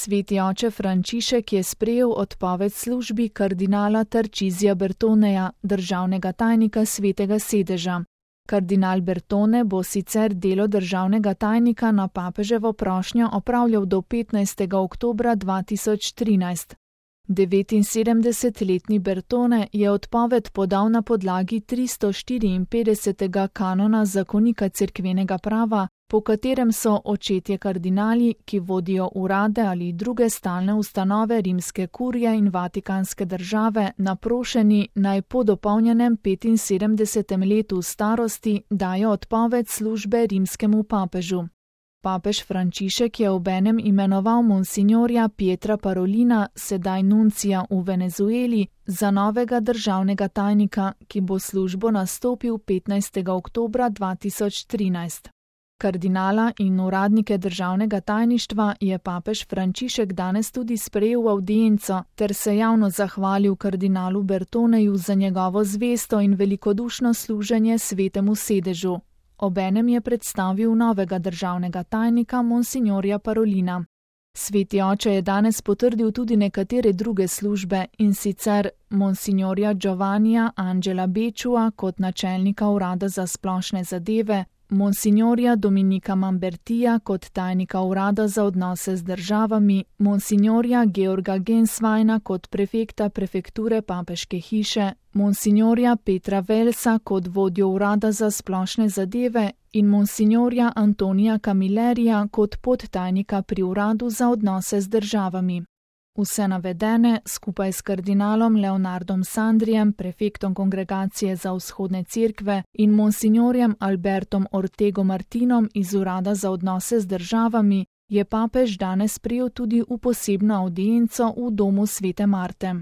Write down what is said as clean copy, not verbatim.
Sveti oče Frančišek je sprejel odpoved službi kardinala Tarcisija Bertoneja, državnega tajnika Svetega sedeža. Kardinal Bertone bo sicer delo državnega tajnika na papeževo prošnjo opravljal do 15. oktobra 2013. 79-letni Bertone je odpoved podal na podlagi 354. kanona zakonika cerkvenega prava, po katerem so očetje kardinali, ki vodijo urade ali druge stalne ustanove rimske kurije in vatikanske države, naprošeni naj po dopolnjenem 75. letu starosti dajo odpoved službe rimskemu papežu. Papež Frančišek je obenem imenoval monsinjorja Pietra Parolina, sedaj nuncija v Venezueli, za novega državnega tajnika, ki bo službo nastopil 15. oktobra 2013. Kardinala in uradnike državnega tajništva je papež Frančišek danes tudi sprejel v avdienco ter se javno zahvalil kardinalu Bertoneju za njegovo zvesto in velikodušno služenje Svetemu sedežu. Obenem je predstavil novega državnega tajnika monsinjorja Parolina. Sveti oče je danes potrdil tudi nekatere druge službe, in sicer monsinjorja Giovannija Angela Bečua kot načelnika urada za splošne zadeve, monsinjorja Dominika Mambertija kot tajnika urada za odnose z državami, monsinjorja Georga Gensweina kot prefekta prefekture papeške hiše, monsinjorja Petra Velsa kot vodjo urada za splošne zadeve in monsinjorja Antonija Camillerija kot podtajnika pri uradu za odnose z državami. Vse navedene, skupaj s kardinalom Leonardom Sandrijem, prefektom Kongregacije za vzhodne cerkve, in monsinjorjem Albertom Ortego Martinom iz urada za odnose z državami, je papež danes sprejel tudi v posebno avdienco v domu Svete Marte.